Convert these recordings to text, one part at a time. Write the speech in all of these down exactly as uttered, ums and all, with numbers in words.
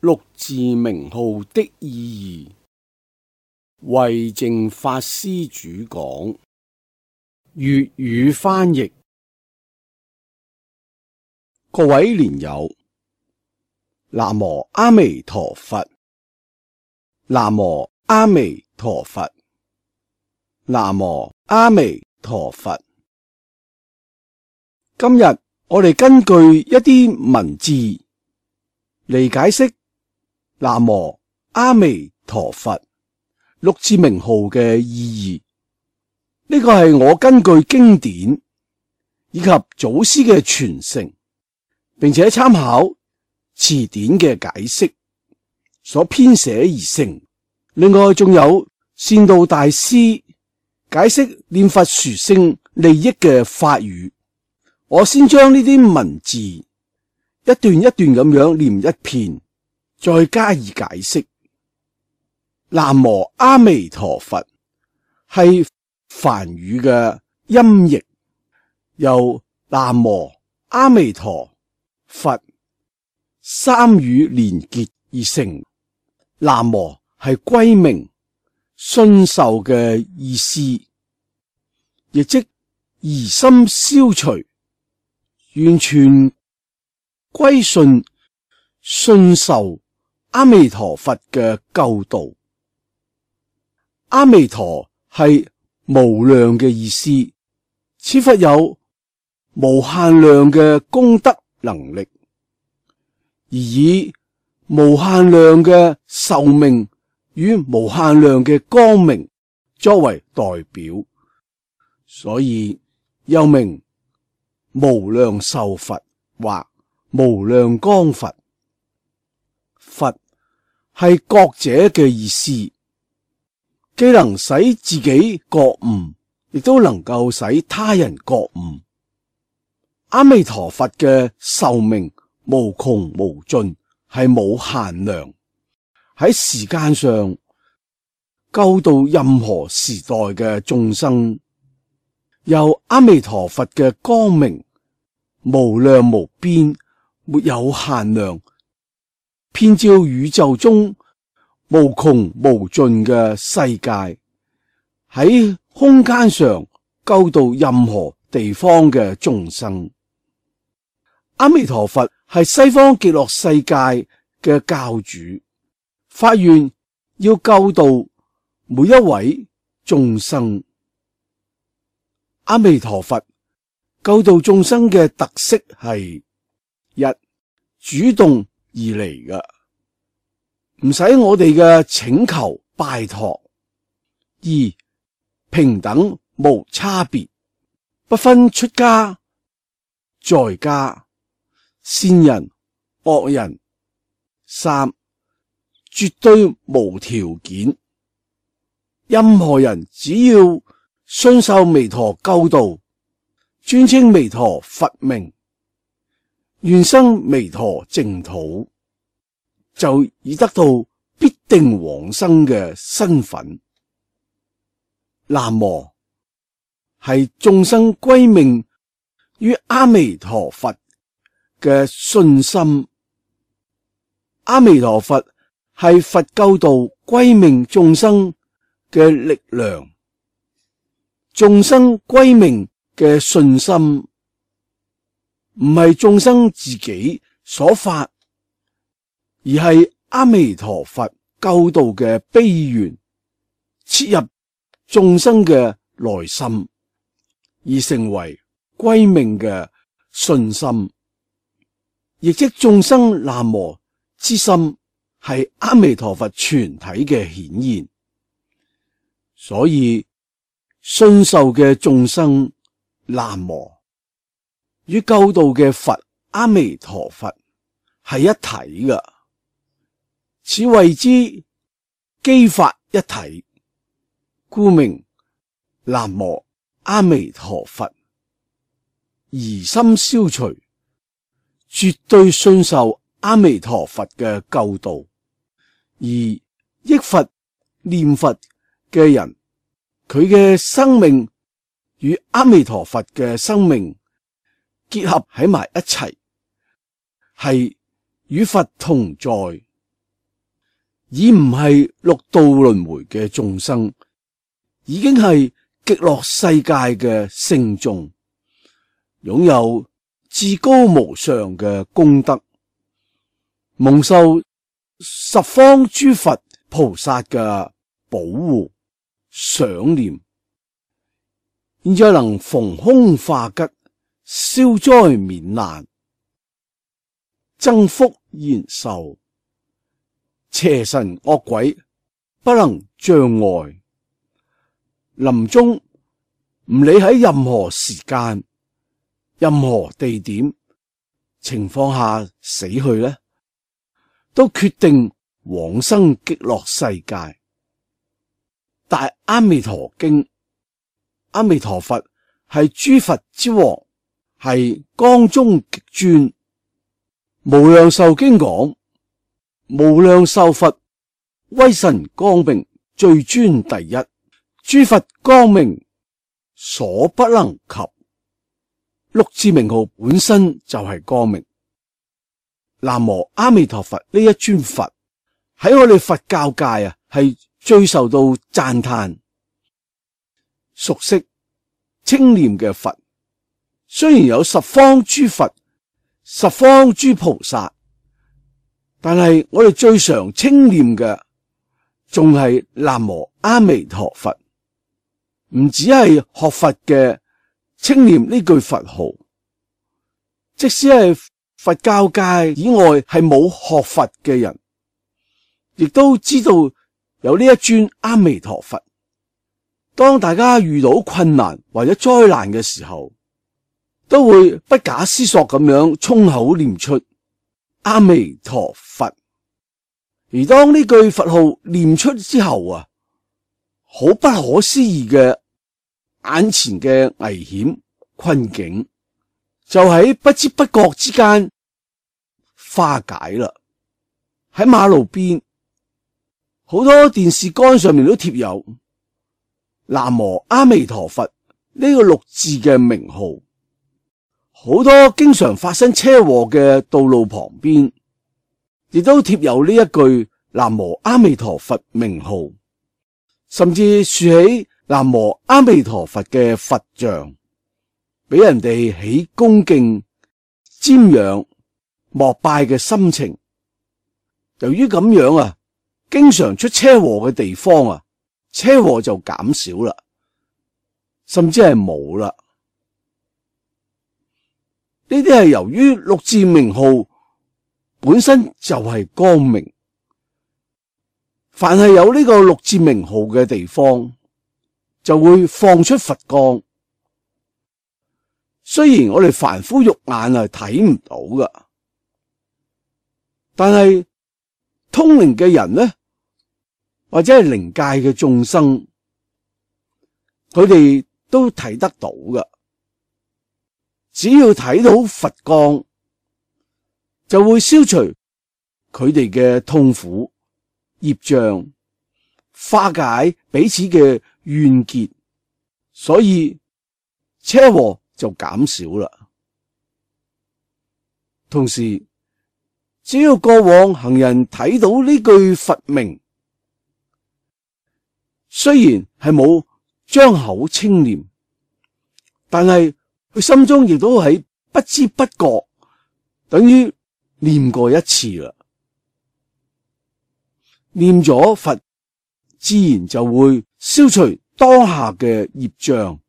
六字名號的意義，慧淨法師主講，粵語翻譯。各位蓮友，南無阿彌陀佛，南無阿彌陀佛，南無阿彌陀佛。今日我哋根據一啲文字嚟解釋南無阿彌陀佛六字名號嘅意義。呢個係我根據經典以及祖師嘅傳承，並且參考詞典嘅解釋所編寫而成。另外仲有善導大師解釋念佛殊勝利益嘅法語。我先將呢啲文字一段一段咁樣念一遍，再加以解釋。南無阿彌陀佛係梵語嘅音譯，由南無阿彌陀佛三語連結而成。南無係歸命信受嘅意思，亦即疑心消除，完全歸順信受阿彌陀佛嘅救度。阿彌陀係無量嘅意思，此佛有無限量嘅功德能力，而以無限量嘅壽命與無限量嘅光明作為代表，所以又名無量壽佛或無量光佛。佛係覺者嘅意思，既能使自己覺悟，亦都能夠使他人覺悟。阿彌陀佛嘅壽命無窮無盡，係冇限量，喺時間上救度任何時代嘅眾生。由阿彌陀佛嘅光明無量無邊，沒有限量，遍照宇宙中無窮無盡嘅世界，喺空間上救度任何地方嘅眾生。阿彌陀佛係西方極樂世界嘅教主，發願要救度每一位眾生。阿彌陀佛救度眾生嘅特色係：一、主動而嚟嘅，唔使我哋嘅請求拜託；二、平等無差別，不分出家在家、善人惡人；三、絕對無條件，任何人只要信受彌陀救度，尊稱彌陀佛名，願生彌陀淨土，就已得到必定往生嘅身份。南無係眾生歸命於阿彌陀佛嘅信心。阿彌陀佛係佛救度歸命眾生嘅力量。眾生歸命嘅信心唔係眾生自己所發，而係阿彌陀佛救度嘅悲願切入眾生嘅內心，而成為歸命嘅信心，亦即眾生南無之心係阿彌陀佛全體嘅顯現。所以信受嘅眾生南無與救度嘅佛阿彌陀佛係一體嘅，此謂之機法一體，故名南無阿彌陀佛。疑心消除，絕對信受阿彌陀佛嘅救度，而憶佛念佛嘅人，佢嘅生命與阿彌陀佛嘅生命結合喺埋一齊，係與佛同在，而唔係六道輪迴嘅眾生，已經係極樂世界嘅聖眾，擁有至高無上嘅功德，蒙受十方諸佛菩薩嘅保護賞念，現在能逢凶化吉，消災免難，增福延壽，邪神惡鬼不能障礙。臨終唔理喺任何時間、任何地點情況下死去呢，都決定往生極樂世界。大阿彌陀經，阿彌陀佛係諸佛之王，係光中極尊。無量壽經講，無量壽佛威神光明最尊第一，諸佛光明所不能及。六字名號本身就係光明。南無阿彌陀佛呢一尊佛喺我哋佛教界啊，係最受到讚嘆、熟悉、稱念嘅佛。雖然有十方諸佛、十方諸菩薩，但係我哋最常稱念嘅仲係南無阿彌陀佛。唔只係學佛嘅稱念呢句佛號，即使係佛教界以外係冇學佛嘅人，亦都知道有呢一尊阿彌陀佛。當大家遇到困難或者災難嘅時候，都會不假思索咁樣衝口念出阿彌陀佛。而當呢句佛號念出之後啊，好不可思議嘅眼前嘅危險困境就喺不知不覺之間化解啦。喺馬路邊，好多電線桿上面都貼有南無阿彌陀佛呢個六字嘅名號。好多經常發生車禍嘅道路旁邊，亦都貼有呢一句南無阿彌陀佛名號，甚至豎起南無阿彌陀佛嘅佛像，俾人哋起恭敬、瞻仰、膜拜嘅心情。由於咁樣啊，經常出車禍嘅地方啊，車禍就減少啦，甚至係冇啦。呢啲係由於六字名號本身就係光明，凡係有呢個六字名號嘅地方，就會放出佛光。雖然我哋凡夫肉眼係睇唔到噶，但係通靈嘅人呢，或者係靈界嘅眾生，佢哋都睇得到噶。只要睇到佛光，就會消除佢哋嘅痛苦、業障，化解彼此嘅怨結，所以車禍就減少啦。同時，只要過往行人睇到呢句佛名，雖然係冇張口稱念，但係佢心中亦都喺不知不覺等於念過一次啦。念咗佛，自然就會消除當下嘅業障。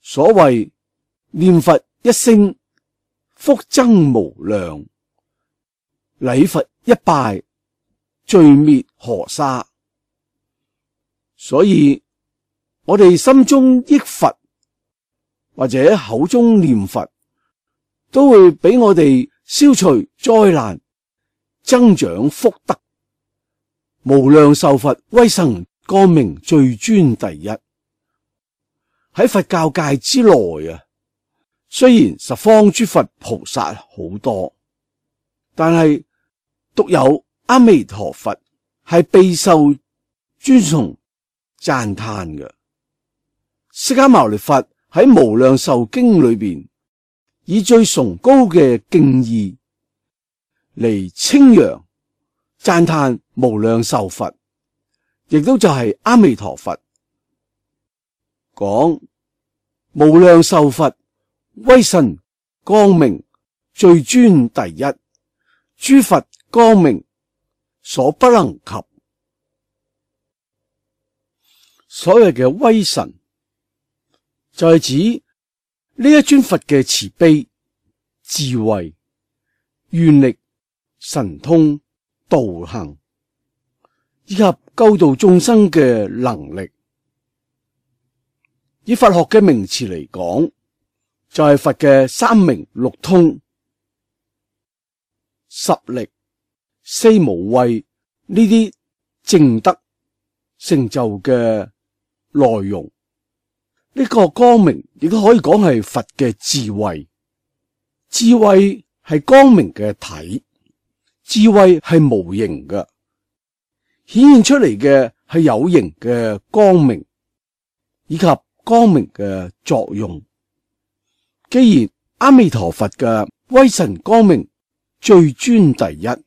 所謂念佛一聲，福增無量；禮佛一拜，罪滅河沙。所以我哋心中憶佛，或者口中念佛，都會俾我哋消除災難，增長福德。無量壽佛威神光明最尊第一。喺佛教界之內啊，雖然十方諸佛菩薩好多，但係獨有阿彌陀佛係備受尊崇讚嘆嘅。釋迦牟尼佛喺無量壽經裏邊，以最崇高嘅敬意嚟稱揚讚嘆無量壽佛，亦都就係阿彌陀佛，講無量壽佛威神光明最尊第一，諸佛光明所不能及。所謂嘅威神就係指呢一尊佛嘅慈悲、智慧、願力、神通、道行以及救度眾生嘅能力。以佛學嘅名詞嚟講，就係佛嘅三明六通、十力、四無畏呢啲證德成就嘅內容。呢個光明亦都可以講係佛嘅智慧，智慧係光明嘅體，智慧係無形嘅，顯現出嚟嘅係有形嘅光明以及光明嘅作用。既然阿彌陀佛嘅威神光明最尊第一，咁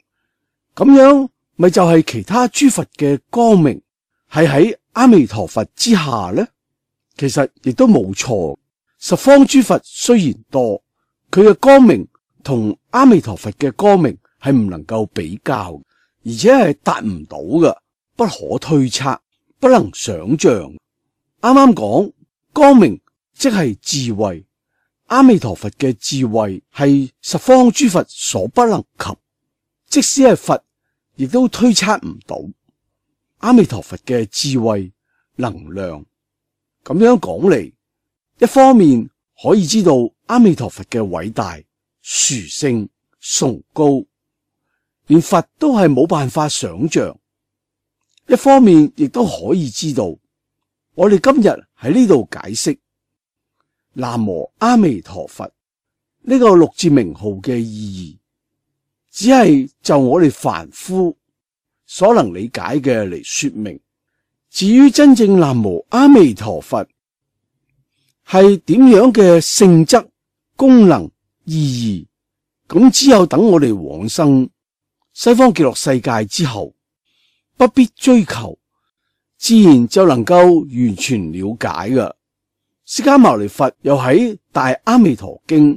樣咪就係其他諸佛嘅光明係喺阿彌陀佛之下呢？其實亦都冇錯。十方諸佛雖然多，佢嘅光明同阿彌陀佛嘅光明係唔能夠比較，而且係達唔到嘅，不可推測，不能想象。啱啱講光明即係智慧，阿彌陀佛嘅智慧係十方諸佛所不能及，即使係佛亦都推測唔到阿彌陀佛嘅智慧能量。咁樣講嚟，一方面可以知道阿彌陀佛嘅偉大、殊勝、崇高，連佛都係冇辦法想象；一方面亦都可以知道，我哋今日喺呢度解釋南無阿彌陀佛呢個六字名號嘅意義，只係就我哋凡夫所能理解嘅嚟說明。至於真正南無阿彌陀佛係點樣嘅性質、功能、意義，咁只有等我哋往生西方極樂世界之後，不必追求，自然就能夠完全了解㗎。釋迦牟尼佛又喺《大阿彌陀經》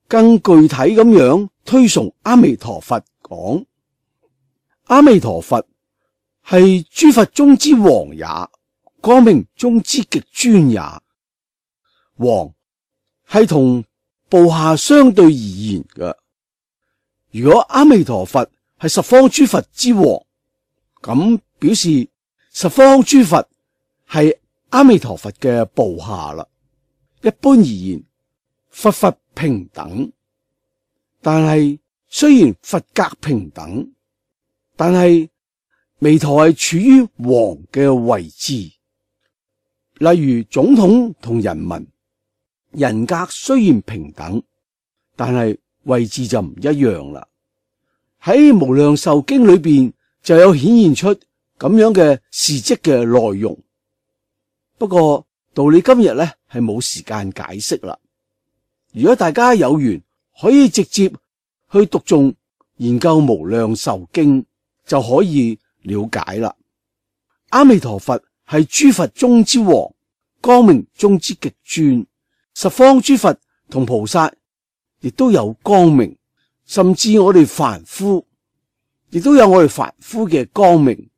更具體咁樣推崇阿彌陀佛，講阿彌陀佛係諸佛中之王也，光明中之極尊也。王係同部下相對而言嘅。如果阿彌陀佛係十方諸佛之王，咁表示十方諸佛係阿彌陀佛嘅部下啦。一般而言，佛佛平等，但係雖然佛格平等，但係彌陀係處於王嘅位置。例如總統同人民，人格雖然平等，但係位置就唔一樣啦。喺無量壽經裏邊就有顯現出咁樣嘅事跡嘅內容。不過道理今日咧係冇時間解釋啦。如果大家有緣，可以直接去讀誦研究無量壽經，就可以了解啦。阿彌陀佛係諸佛中之王，光明中之極尊。十方諸佛同菩薩亦都有光明，甚至我哋凡夫亦都有我哋凡夫嘅光明。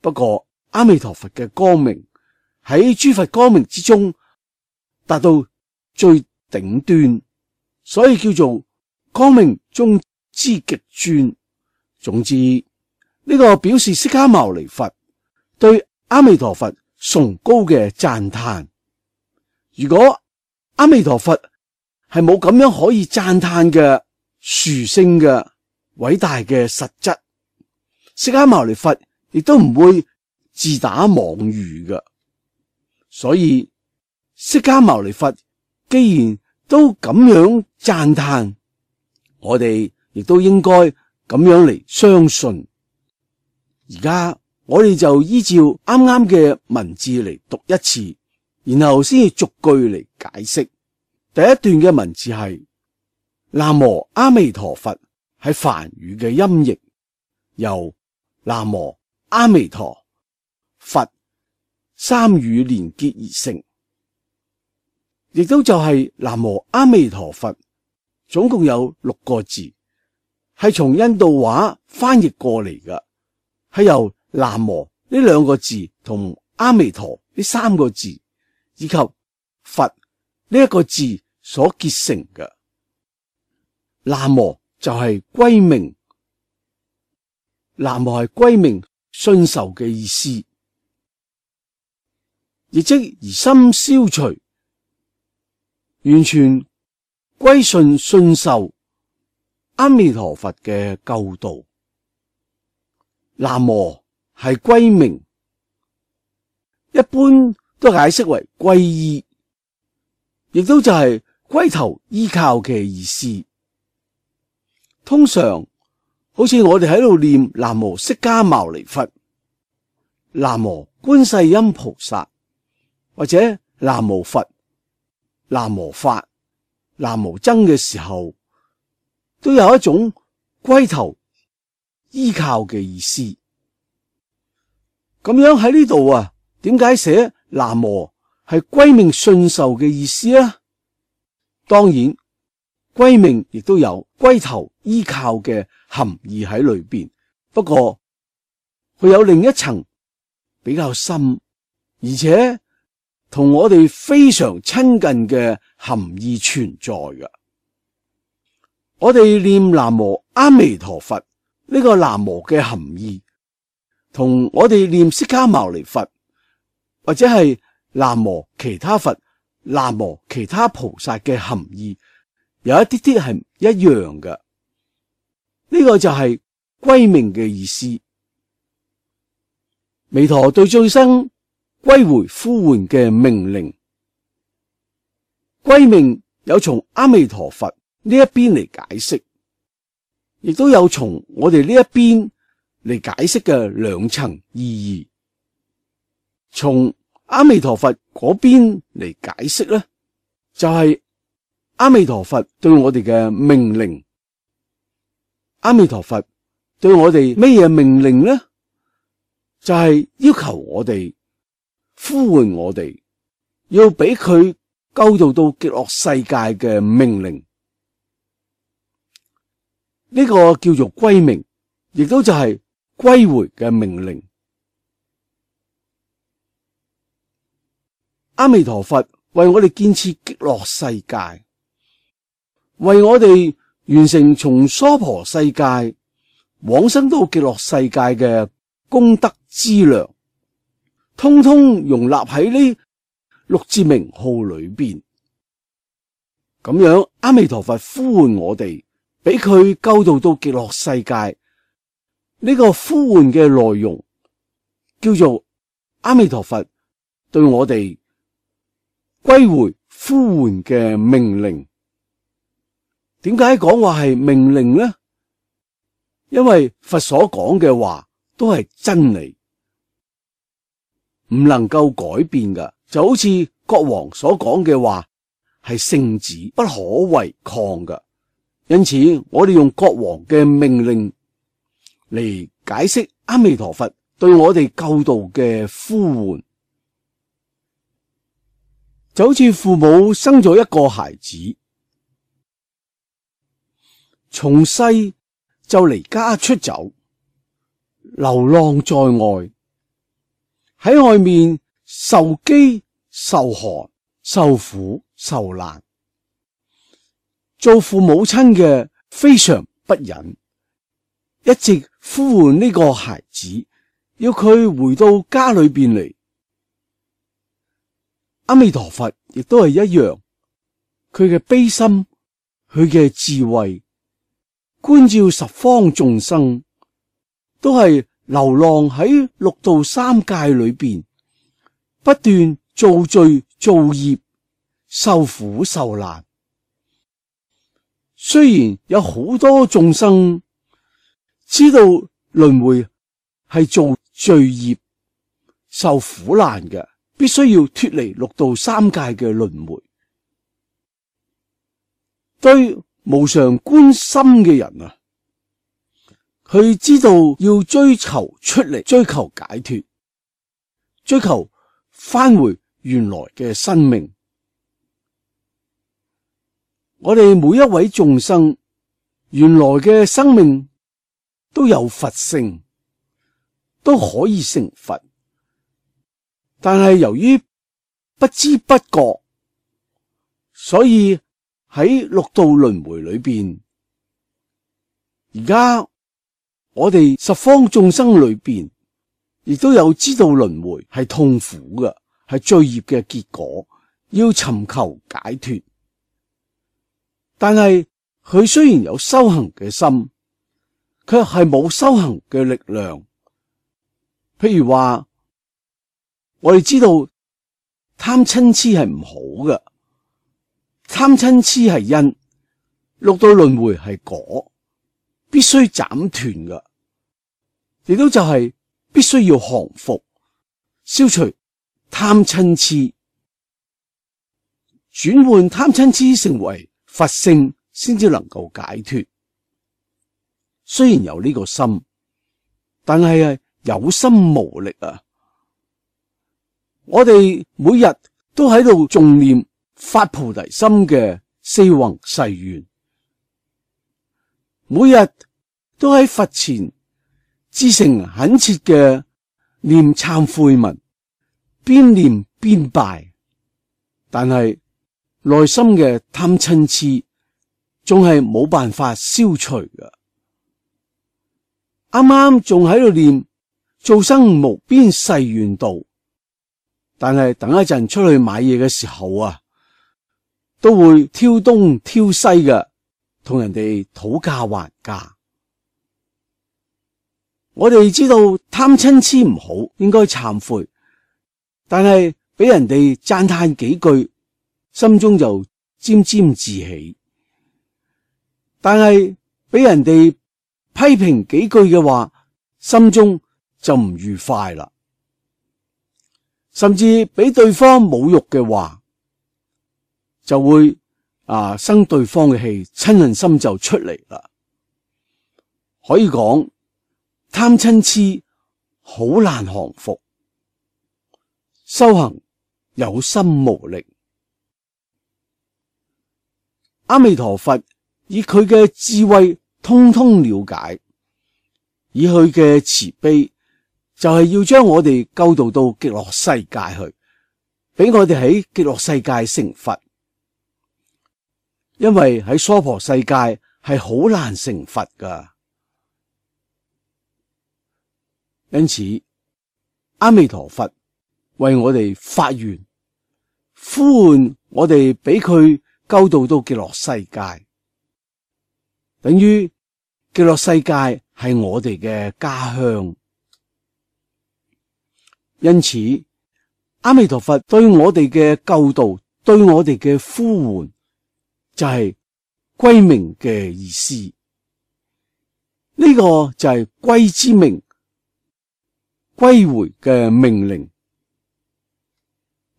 不過阿彌陀佛嘅光明喺諸佛光明之中達到最頂端，所以叫做光明中之極尊。總之呢個表示釋迦牟尼佛對阿彌陀佛崇高嘅讚嘆。如果阿彌陀佛係冇咁樣可以讚嘆嘅殊勝嘅偉大嘅實質，釋迦牟尼佛亦都唔會自打妄語嘅。所以釋迦牟尼佛既然都咁樣讚嘆，我哋亦都應該咁樣嚟相信。而家我哋就依照啱啱嘅文字嚟讀一次，然後先至逐句嚟解釋。第一段嘅文字係南無阿彌陀佛，係梵語嘅音譯，由南無阿彌陀佛三語連結而成，亦都就係南無阿彌陀佛，總共有六個字，係從印度話翻譯過嚟嘅，係由南無呢兩個字同阿彌陀呢三個字以及佛呢一個字所結成嘅。南無就係歸命，南無係歸命信受嘅意思，亦即疑心消除，完全歸順信受阿彌陀佛嘅救度。南無係歸命，一般都解釋為歸依，亦都就係歸頭依靠嘅意思。通常好似我哋喺度念南無釋迦牟尼佛、南無觀世音菩薩，或者南無佛、南無法、南無僧嘅時候，都有一種歸頭依靠嘅意思。咁樣喺呢度啊，點解寫南無係歸命信受嘅意思啊？當然，歸命亦都有歸頭依靠嘅含義喺裏邊，不過佢有另一層比較深，而且同我哋非常親近嘅含義存在嘅。我哋念南無阿彌陀佛呢個南無嘅含義，同我哋念釋迦牟尼佛或者係南無其他佛、南無其他菩薩嘅含義有一啲啲係唔一樣嘅。呢個就係歸命嘅意思。彌陀對眾生歸回呼喚嘅命令，歸命有從阿彌陀佛呢一邊嚟解釋，亦都有從我哋呢一邊嚟解釋嘅兩層意義。從阿彌陀佛嗰邊嚟解釋咧，就係阿彌陀佛對我哋嘅命令。阿彌陀佛對我哋咩嘢命令呢？就係要求我哋呼喚我哋，要俾佢救度到極樂世界嘅命令。呢個叫做歸命，亦都就係歸回嘅命令。阿彌陀佛為我哋建設極樂世界，為我哋完成從娑婆世界往生到極樂世界嘅功德資糧，通通容納喺呢六字名號裏邊。咁樣阿彌陀佛呼喚我哋，俾佢救度到極樂世界。呢個呼喚嘅內容叫做阿彌陀佛對我哋歸回呼喚嘅命令。點解講話係命令呢？因為佛所講嘅話都係真理，唔能夠改變㗎。就好似國王所講嘅話係聖旨，不可違抗㗎。因此我哋用國王嘅命令嚟解釋阿彌陀佛對我哋救度嘅呼喚，就好似父母生咗一個孩子，從細就離家出走，流浪在外，喺外面受飢受寒受苦受難，做父母親嘅非常不忍，一直呼喚呢個孩子，要佢回到家裏邊嚟。阿彌陀佛亦都係一樣，佢嘅悲心，佢嘅智慧，觀照十方眾生，都係流浪喺六道三界裏邊，不斷造罪造業，受苦受難。雖然有好多眾生知道輪迴係做罪業受苦難嘅，必須要脫離六道三界嘅輪迴。對無常觀心嘅人啊，佢知道要追求出嚟，追求解脫，追求返回原來嘅生命。我哋每一位眾生原來嘅生命都有佛性，都可以成佛，但係由於不知不覺，所以喺六道輪迴裏邊，而家我哋十方眾生裏邊，亦都有知道輪迴係痛苦嘅，係罪業嘅結果，要尋求解脫。但係佢雖然有修行嘅心，卻係冇修行嘅力量。譬如話，我哋知道貪嗔癡係唔好嘅，貪嗔癡係因，六道輪迴係果，必須斬斷嘅，亦都就係必須要降伏，消除貪嗔癡，轉換貪嗔癡成為佛性，先至能夠解脫。雖然有呢個心，但係係有心無力啊！我哋每日都喺度誦念發菩提心嘅四弘誓願，每日都喺佛前至誠懇切嘅念懺悔文，邊念邊拜，但係內心嘅貪嗔癡仲係冇辦法消除嘅。啱啱仲喺度念造生無邊誓願度，但係等一陣出去買嘢嘅時候啊，都會挑東挑西嘅，同人哋討價還價。我哋知道貪嗔癡唔好，應該懺悔，但係俾人哋讚嘆幾句，心中就沾沾自喜；但係俾人哋批評幾句嘅話，心中就唔愉快啦。甚至俾對方侮辱嘅話，就會啊生對方嘅氣，嗔恨心就出嚟啦。可以講貪嗔癡好難降服，修行有心無力。阿彌陀佛以佢嘅智慧通通了解，以佢嘅慈悲，就係要將我哋救度到極樂世界去，俾我哋喺極樂世界成佛。因為喺娑婆世界係好難成佛噶，因此阿彌陀佛為我哋發願，呼喚我哋俾佢救度到極樂世界，等於極樂世界係我哋嘅家鄉。因此阿彌陀佛對我哋嘅救度，對我哋嘅呼喚，就係歸命嘅意思。呢、這個就係歸之命，歸回嘅命令。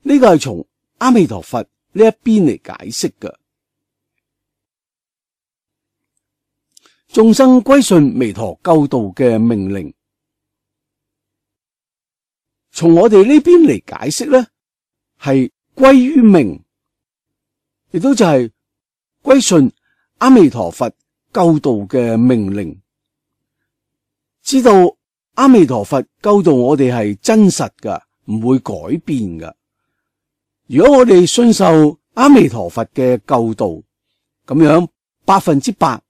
呢、這個係從阿彌陀佛呢一邊嚟解釋嘅。眾生歸順彌陀救度嘅命令，從我哋呢邊嚟解釋咧，係歸於命，亦都就係歸順阿彌陀佛救度嘅命令，知道阿彌陀佛救度我哋係真實噶，唔會改變噶。如果我哋信受阿彌陀佛嘅救度，咁樣百分之百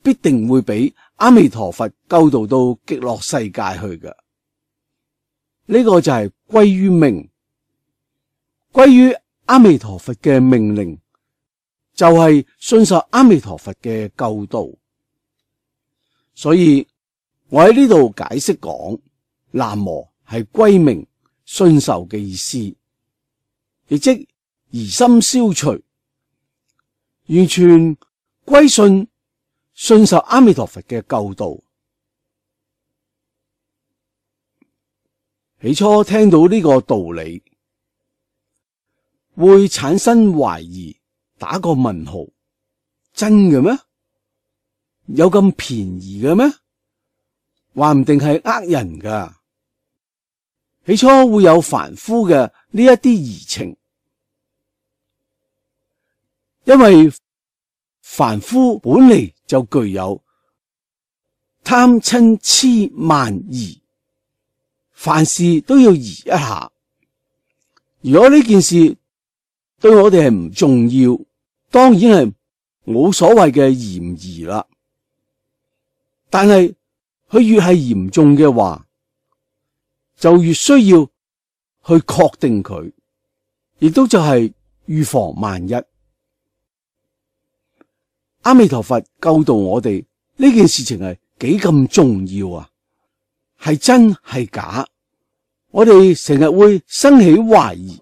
必定會俾阿彌陀佛救度到極樂世界去噶。呢、這個就係歸於命，歸於阿彌陀佛嘅命令，就係信受阿彌陀佛嘅救度。所以我喺呢度解釋講，南無係歸命信受嘅意思，亦即疑心消除，完全歸信信受阿彌陀佛嘅救度。起初聽到呢個道理，會產生懷疑，打個問號，真嘅咩？有咁便宜嘅咩？話唔定係呃人噶。起初會有凡夫嘅呢一啲疑情，因為凡夫本嚟就具有貪嗔癡慢疑，凡事都要疑一下。如果呢件事對我哋係唔重要，當然係冇所謂嘅疑唔疑啦。但係佢越係嚴重嘅話，就越需要去確定佢，亦都就係預防萬一。阿彌陀佛教導我哋呢件事情係幾咁重要啊，係真係假，我哋成日會生起懷疑，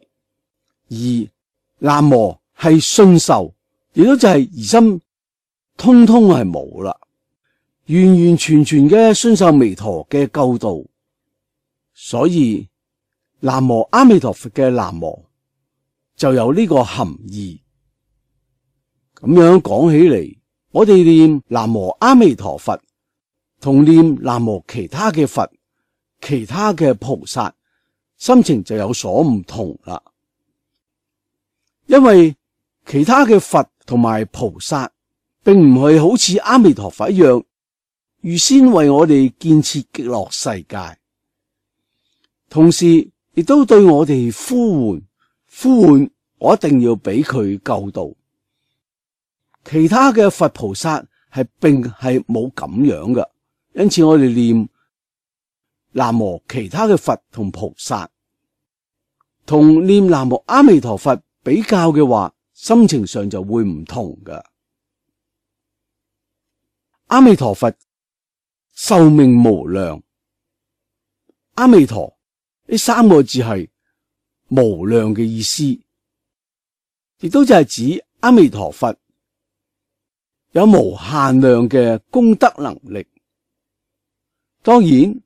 而南無係信受，亦都就係疑心通通係冇啦，完完全全嘅信受彌陀嘅教導。所以南無阿彌陀佛嘅南無就有呢個含義。咁樣講起嚟，我哋念南無阿彌陀佛同念南無其他嘅佛、其他嘅菩薩，心情就有所唔同啦。因為其他嘅佛同埋菩薩並唔係好似阿彌陀佛一樣預先為我哋建設極樂世界，同時亦都對我哋呼喚呼喚，我一定要俾佢救度。其他嘅佛菩薩係並係冇咁樣嘅，因此我哋念南無其他嘅佛同菩薩，同念南無阿彌陀佛比較嘅話，心情上就會唔同㗎。阿彌陀佛壽命無量，阿彌陀呢三個字係無量嘅意思，亦都就係指阿彌陀佛有無限量嘅功德能力。當然，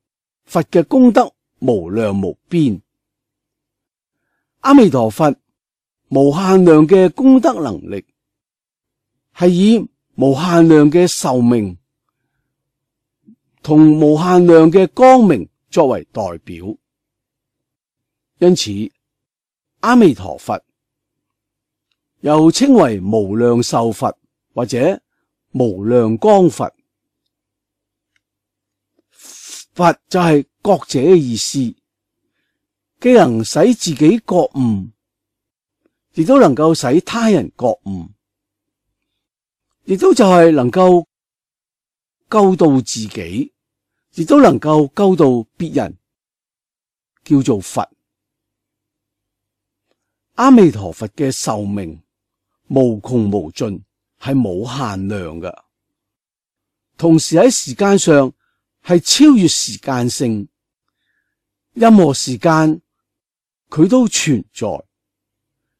佛嘅功德無量無邊，阿彌陀佛無限量嘅功德能力係以無限量嘅壽命同無限量嘅光明作為代表。因此阿彌陀佛又稱為無量壽佛或者無量光佛。佛就係覺者嘅意思，既能使自己覺悟，亦都能夠使他人覺悟，亦都就係能夠救度自己，亦都能夠救度別人，叫做佛。阿彌陀佛嘅壽命無窮無盡，係冇限量嘅，同時喺時間上係超越時間性，任何時間佢都存在，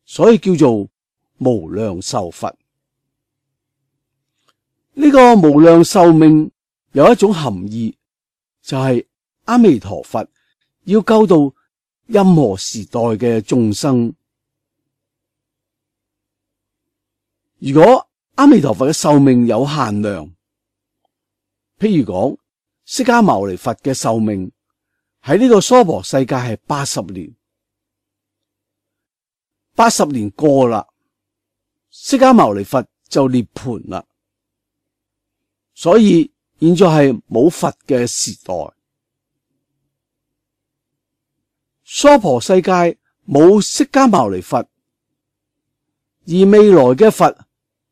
所以叫做無量壽佛。呢個無量壽命有一種含義，就係阿彌陀佛要救度任何時代嘅眾生。如果阿彌陀佛嘅壽命有限量，譬如講釋迦牟尼佛嘅壽命喺呢個娑婆世界係八十年，八十年過啦，釋迦牟尼佛就涅槃啦，所以現在係冇佛嘅時代。娑婆世界冇釋迦牟尼佛，而未來嘅佛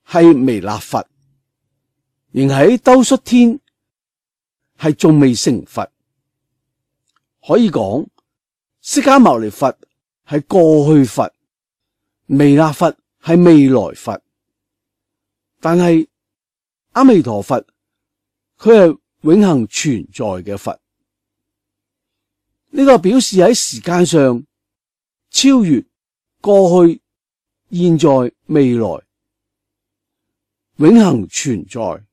係彌勒佛，仍喺兜率天，係仲未成佛。可以講釋迦牟尼佛係過去佛，彌勒佛係未來佛，但係阿彌陀佛佢係永恆存在嘅佛。呢個表示喺時間上超越過去、現在、未來，永恆存在，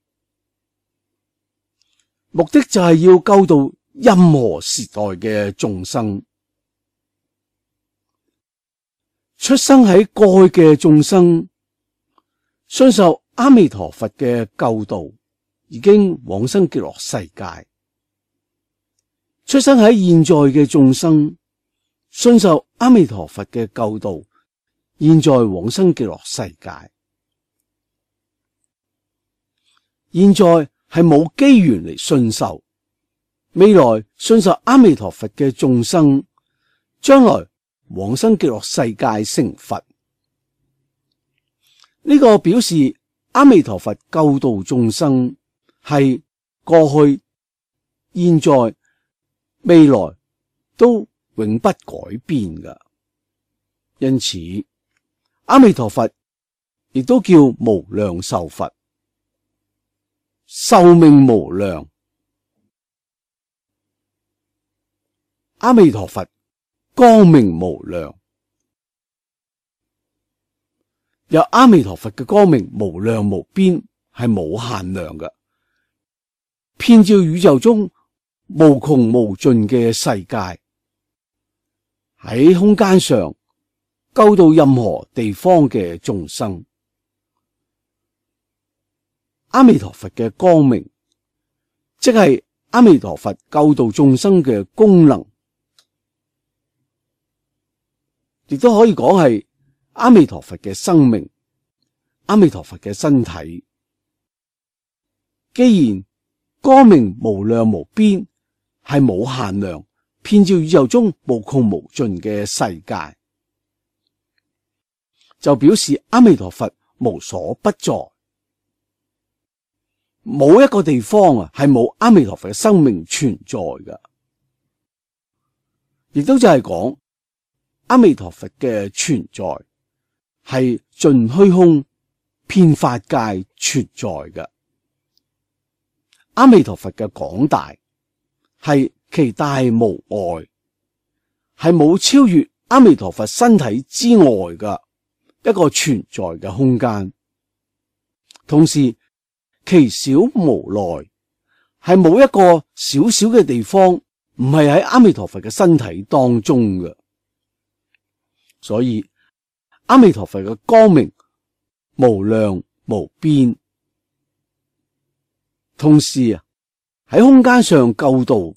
目的就係要救度任何時代嘅眾生。出生喺過去嘅眾生，信受阿彌陀佛嘅救度，已經往生極樂世界。出生喺現在嘅眾生，信受阿彌陀佛嘅救度，現在往生極樂世界。現在係冇機緣嚟信受，未來信受阿彌陀佛嘅眾生，將來往生極樂世界成佛。呢個表示阿彌陀佛救度眾生係過去、現在、未來都永不改變㗎。因此，阿彌陀佛亦都叫無量壽佛，壽命無量。阿彌陀佛光明無量，有阿彌陀佛嘅光明無量無邊，係冇限量嘅，遍照宇宙中無窮無盡嘅世界，喺空間上救度任何地方嘅眾生。阿彌陀佛嘅光明，即係阿彌陀佛救度眾生嘅功能，亦都可以講係阿彌陀佛嘅生命，阿彌陀佛嘅身體。既然光明無量無邊，係冇限量，遍照宇宙中無窮無盡嘅世界，就表示阿彌陀佛無所不在。冇一個地方啊係冇阿彌陀佛嘅生命存在㗎，亦都就係講阿彌陀佛嘅存在係盡虛空遍法界存在嘅。阿彌陀佛嘅廣大係其大無外，係冇超越阿彌陀佛身體之外嘅一個存在嘅空間，同時其小無內，係冇一個小小嘅地方唔係喺阿彌陀佛嘅身體當中嘅。所以阿彌陀佛嘅光明無量無邊，同時啊喺空間上救度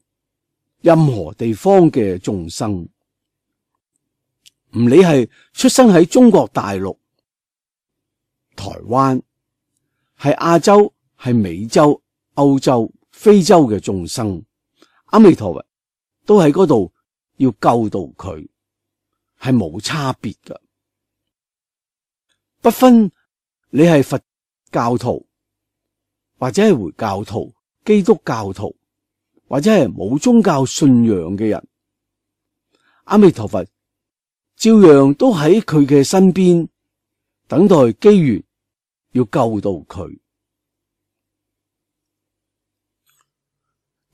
任何地方嘅眾生，唔理係出生喺中國大陸、台灣、係亞洲、係美洲、歐洲、非洲嘅眾生，阿彌陀佛都喺嗰度要救度佢，係冇差別㗎，不分你係佛教徒或者係回教徒、基督教徒或者係冇宗教信仰嘅人，阿彌陀佛照樣都喺佢嘅身邊，等待機緣要救度佢。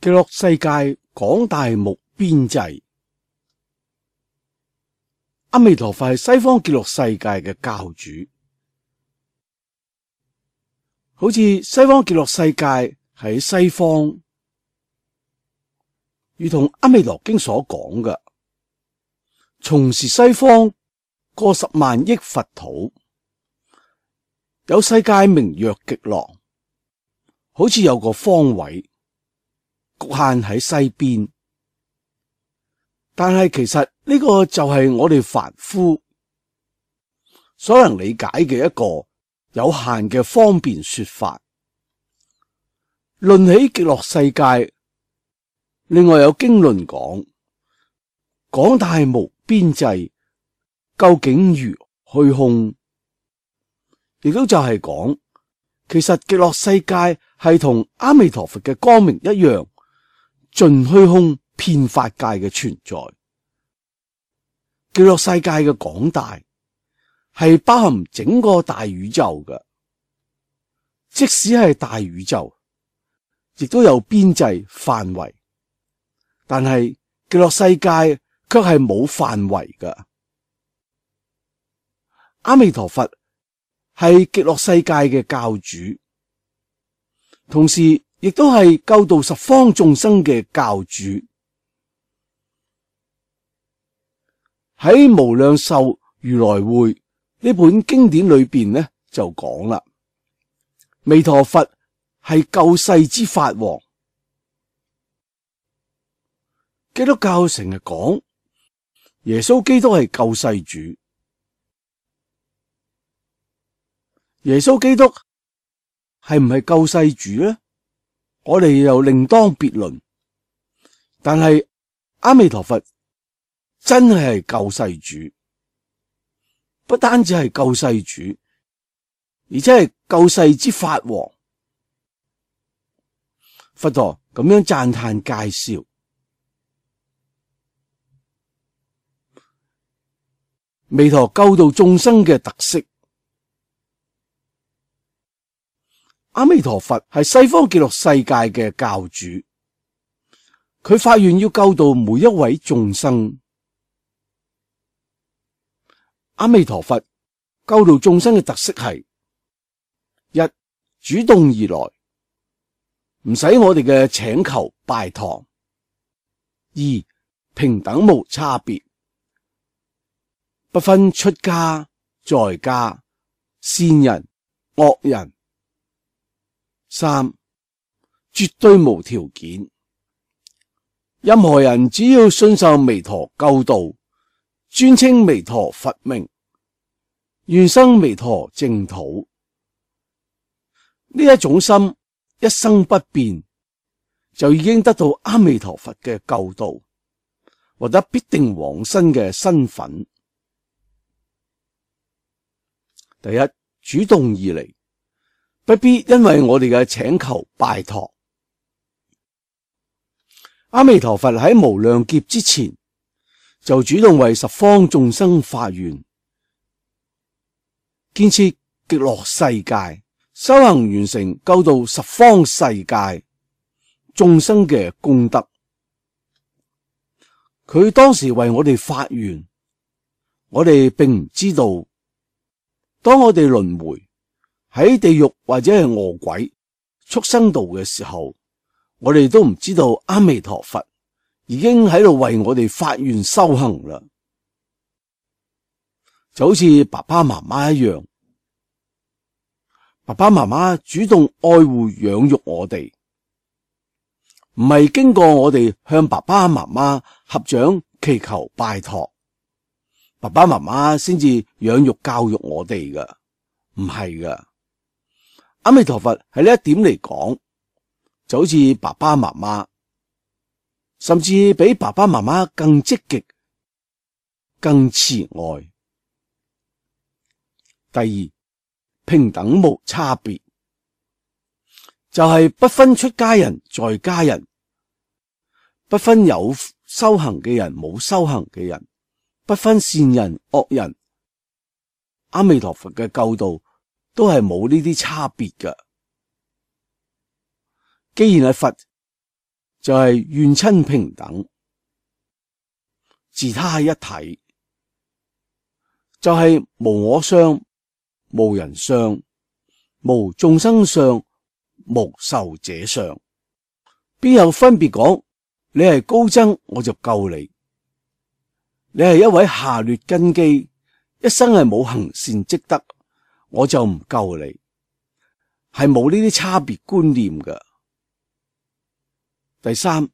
極樂世界廣大無邊際，阿彌陀佛係西方極樂世界嘅教主，好似西方極樂世界喺西方，如同阿彌陀經所講嘅，從是西方過十萬億佛土，有世界名曰極樂，好似有個方位局限喺西邊，但係其實呢個就係我哋凡夫所能理解嘅一個有限嘅方便說法。論起極樂世界，另外有經論講，廣大無邊際，究竟如虛空，亦都就係講，其實極樂世界係同阿彌陀佛嘅光明一樣，盡虛空遍法界嘅存在。極樂世界嘅廣大係包含整個大宇宙嘅，即使係大宇宙，亦都有邊際範圍，但係極樂世界卻係冇範圍嘅。阿彌陀佛係極樂世界嘅教主，同時亦都係救度十方眾生嘅教主。喺無量壽如來會呢本經典裏邊呢，就講啦，彌陀佛係救世之法王，基督教成日講耶穌基督係救世主，耶穌基督係唔係救世主呢？我哋又另當別論。但係阿彌陀佛真係係救世主，不單止係救世主，而且係救世之法王。佛陀咁樣讚嘆介紹彌陀救度眾生嘅特色。阿彌陀佛係西方極樂世界嘅教主，佢發願要救度每一位眾生。阿彌陀佛救度眾生嘅特色係：一、主動而來，唔使我哋嘅請求拜託；二、平等無差別，不分出家在家、善人惡人；三、絕對無條件，任何人只要信受彌陀救度，尊稱彌陀佛名，願生彌陀淨土，呢一種心一生不變，就已經得到阿彌陀佛嘅救度，獲得必定往生嘅身份。第一，主動而嚟，不必因為我哋嘅請求拜託。阿彌陀佛喺無量劫之前就主動為十方眾生發願，建設極樂世界，修行完成救度十方世界眾生嘅功德。佢當時為我哋發願，我哋並唔知道，當我哋輪迴喺地獄或者係餓鬼、畜生道嘅時候，我哋都唔知道阿彌陀佛已經喺度為我哋發願修行啦。就好似爸爸媽媽一樣，爸爸媽媽主動愛護養育我哋，唔係經過我哋向爸爸媽媽合掌祈求拜託，爸爸媽媽先至養育教育我哋噶，唔係噶。阿彌陀佛喺呢一點嚟講，就好似爸爸媽媽，甚至比爸爸媽媽更積極、更慈愛。第二，平等無差別，就係、是、不分出家人在家人，不分有修行嘅人冇修行嘅人，不分善人惡人。阿彌陀佛嘅救度都係冇呢啲差別嘅。既然係佛，就係願親平等，自他一體，就係、是、無我相、無人相、無眾生相、無壽者相。邊有分別講你係高僧我就救你，你係一位下劣根基，一生係冇行善積德，我就唔救你，係冇呢啲差別觀念嘅。第三，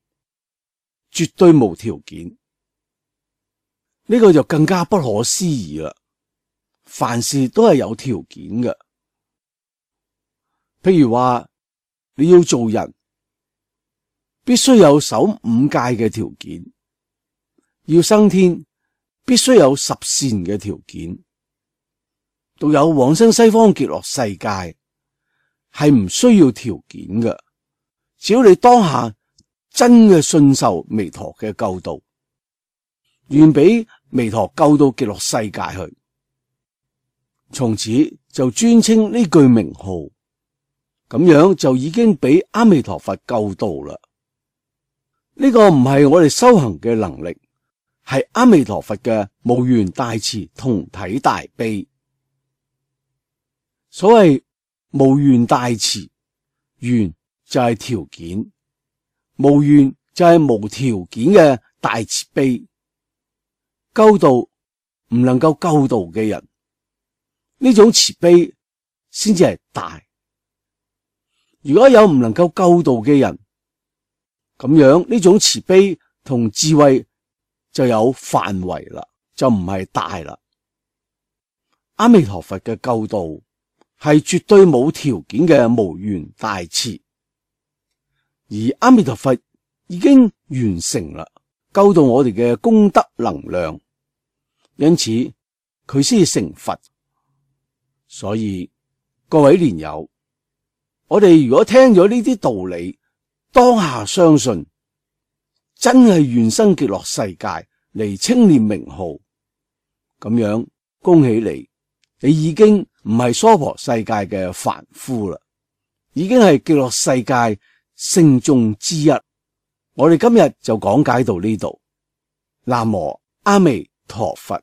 絕對無條件，呢、這個就更加不可思議啦。凡事都係有條件嘅，譬如話你要做人，必須有守五戒嘅條件；要升天，必須有十善嘅條件。獨有往生西方極樂世界係唔需要條件嘅，只要你當下真嘅信受彌陀嘅救度，願俾彌陀救到極樂世界去，從此就尊稱呢句名號，咁樣就已經俾阿彌陀佛救度啦。呢、這個唔係我哋修行嘅能力，係阿彌陀佛嘅無緣大慈同體大悲。所謂無緣大慈，緣就係條件，無緣就係無條件嘅大慈悲。救度唔能夠救度嘅人，呢種慈悲先至係大。如果有唔能夠救度嘅人，咁樣呢種慈悲同智慧就有範圍啦，就唔係大啦。阿彌陀佛嘅救度係絕對冇條件嘅無緣大慈，而阿彌陀佛已經完成啦，救度我哋嘅功德能量，因此佢先至成佛。所以各位蓮友，我哋如果聽咗呢啲道理，當下相信，真係願生極樂世界嚟稱念名號，咁樣恭喜你，你已經唔係娑婆世界嘅凡夫啦，已經係極樂世界聖眾之一。我哋今日就講解到呢度。南無阿彌陀佛。